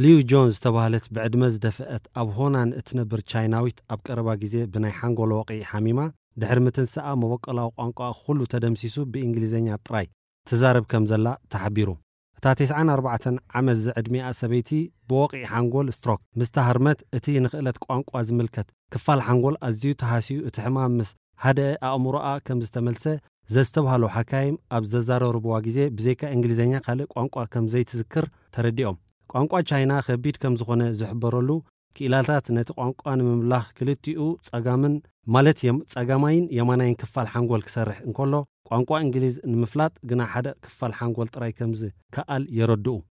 ሊዩ ጆንስ ዝተባህለት ብዕድመ ዝደፍአት ኣብ ሆናን እትነብር ቻይናዊት ኣብ ቀረባ ግዜ ብናይ ሓንጎል ወቕዒ ሓሚማ ድሕሪ ምትንስኣ መበቆላዊ ቋንቋ ኩሉ ተደምሲሱ ብእንግሊዝኛ ጥራይ ትዛረብ ከም ዘላ ተሓቢሩ። እታ ተስዓን ኣርባዕተን ዓመት ዝዕድሚኣ ሰበይቲ ብወቕዒ ሓንጎል ስትሮክ ምስ ተሃርመት እቲ ንኽእለት ቋንቋ ዝምልከት ክፋል ሓንጎል ኣዝዩ ተሃስዩ እቲ ሕማም ምስ ሃደአ ኣእምሮኣ ከም ዝተመልሰ ዘስተብሃሉ ሓካይም ኣብ ዘዛረርብዋ ግዜ ብዘይካ እንግሊዝኛ ካልእ ቋንቋ ከም ዘይትዝክር ተረዲኦም። ቋንቋ ቻይና ከቢድ ከም ዝኾነ ዝሕበረሉ ክኢላታት ነቲ ቋንቋ ንምምላኽ ክልቲኡ ጸጋምን ማለት የም ጸጋማይን የማናይን ክፋል ሓንጎል ክሰርሕ እንከሎ ቋንቋ እንግሊዝ ንምፍላጥ ግና ሓደ ክፋል ሓንጎል ጥራይ ከም ዝከኣል የረድኡ።